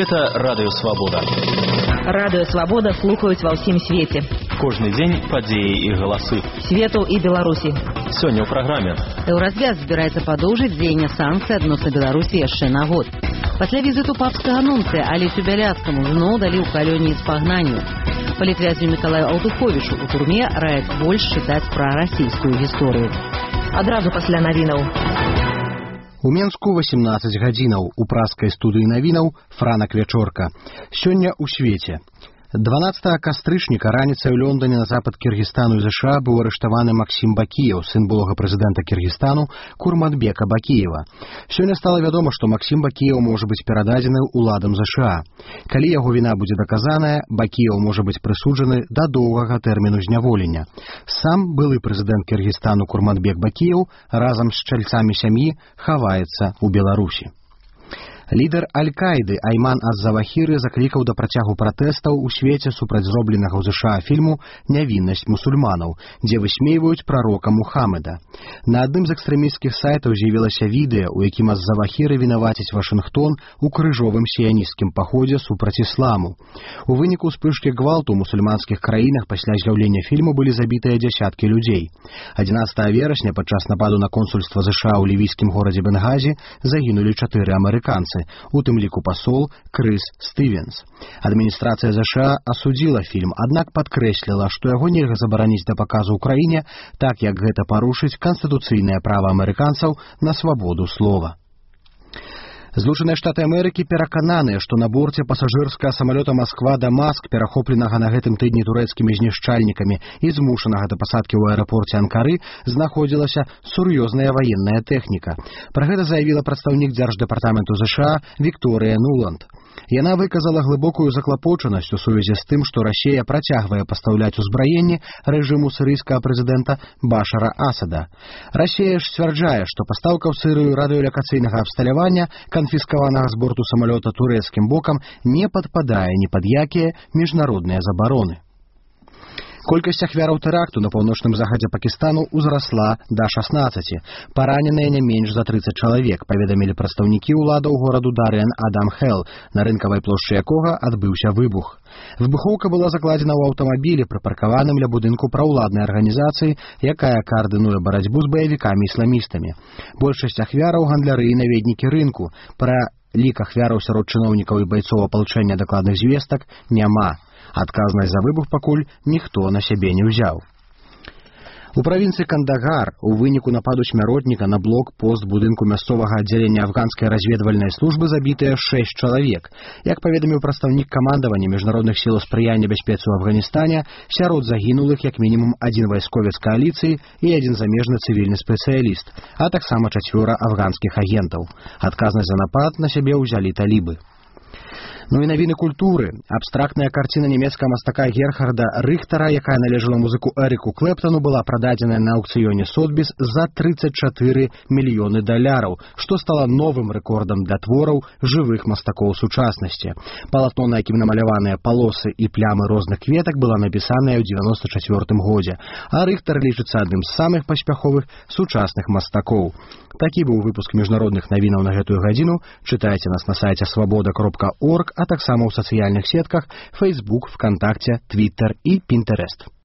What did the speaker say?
Гэта радыёвабода. Радыёвабода слухаюць ва ўсім свеце. Кожны дзень падзеі і галасы. Свету і Беларусі. Сёння ў праграме. Еўразвяз збіраецца падоўжыць дзеянне санкцый адносна Беларусі яшчэ на год. Пасля візіту папскага нунцыя Алесю Бяляцкаму зноў далі ў калоніі спагнанню. Палітвязню Мікалаю Аўтуховічу у турме раяць больш чытаць пра расійскую гісторыю. Адразу пасля навінаў. У Менску 18 гадзінаў. У праскай студыі навінаў Франак Вячорка. Сёння ў свеце. 12 кастрычніка раніцай у Лондоне на запад Кіргізстану і ЗША быў арыштаваны Максім Бакіеў, сын былога прэзідэнта Кіргізстану Курманбека Бакіева. Сёння стала вядома, што Максім Бакіеў можа быць перададзены ўладам ЗША. Калі яго віна будзе даказаная, Бакіеў можа быць прысуджаны да доўгага тэрміну зняволення. Сам былы прэзідэнт Кіргізстану Курманбек Бакіеў разам з чальцамі сям'і хаваецца ў Беларусі. Лідар Аль-Каіды Айман аз-Завахіры заклікаў да працягу пратэстаў у свеце супраць зробленага ў ЗША фільму «Нявіннасць мусульманаў», дзе высмейваюць прарока Мухаммеда. На адным з экстрэмісцкіх сайтаў з'явілася відэа, у якім аз-Завахіры вінаваціць Вашынгтон у крыжовым сіянісцкім паходзе супраць ісламу. У выніку ўспышкі гвалту ў мусульманскіх краінах пасля з'яўлення фільму былі забітыя дзясяткі людзей. 11 верасня падчас нападу на консульства ЗША ў лівійскім горадзе Бенгазі загінулі 4 амерыканцы, у тым ліку пасол Крыс Стывенс. Адміністрацыя ЗША асудзіла фільм, аднак падкрэсліла, што яго нельга забараніць да паказу ў краіне, так як гэта парушыць канстытуцыйнае права амерыканцаў на свабоду слова. Злучаныя Штаты Амерыкі перакананыя, што на борце пасажырскага самалёта Масква-Дамаск, перахопленага на гэтым тыдні турэцкімі знішчальнікамі і змушанага да пасадкі ў аэрапорце Анкары, знаходзілася сур'ёзная ваенная тэхніка. Пра гэта заявіла прадстаўнік Дзярждэпартаменту ЗША Вікторыя Нуланд. Яна выказала глыбокую заклапочанасць у сувязі з тым, што Расія працягвае пастаўляць узбраенне рэжыму сірыйскага прэзідэнта Башара Асада. Расія ж сцвярджае, што пастаўка ў Сірыю радыёлакацыйнага абсталявання, канфіскаванага з борту самалёта турэцкім бокам, не падпадае ні пад якія міжнародныя забароны. Колькасць ахвяраў тэракту на паўночным захадзе Пакістану ўзрасла да 16. Параненыя не менш за 30 чалавек, паведамілі прадстаўнікі ўладаў гораду Дариан Адам-Хелл, на рынкавай плошчы якога адбыўся выбух. Выбухоўка была закладзена ў аўтамабілі, прыпаркаваным ля будынку праўладнай арганізацыі, якая каардынуе барацьбу з баевікамі-ісламістамі. Большасць ахвяраў гандляры і наведнікі рынку. Пра лік ахвяраў сярод чыноўнікаў і байцоў апалчэння дакладных звестак няма. Адказнасць за выбух пакуль ніхто на сябе не ўзяў. У правінцыі Кандагар у выніку нападу смяротніка на блок-пост будынку мясцовага аддзялення афганскай разведвальнай службы забітыя 6 чалавек. Як паведаміў прадстаўнік камандавання міжнародных сіл спрыяння бяспецы ў Афганістане, сярод загінулых як мінімум 1 вайсковец кааліцыі і 1 замежны цывільны спецыяліст, а таксама 4 афганскіх агентаў. Адказнасць за напад на сябе ўзялі талібы. Ну і навіны культуры. Абстрактная карціна нямецкага мастака Герхарда Рыхтара, якая належала музыку Эрыку Клэптану, была прададзеная на аўкцыёне Сотбіс за $34 мільёны, што стала новым рэкордам для твораў жывых мастакоў сучаснасці. Палатно, на якім намаляваныя палосы і плямы розных кветак, была напісаная ў 94 годзе, а Рыхтар лічыцца адным з самых паспяховых сучасных мастакоў. Такі быў выпуск міжнародных навінаў на гэтую гадзіну. Чытайце нас на сайце свабода.орг, а таксама ў сацыяльных сетках Facebook, ВКонтакте, Twitter і Pinterest.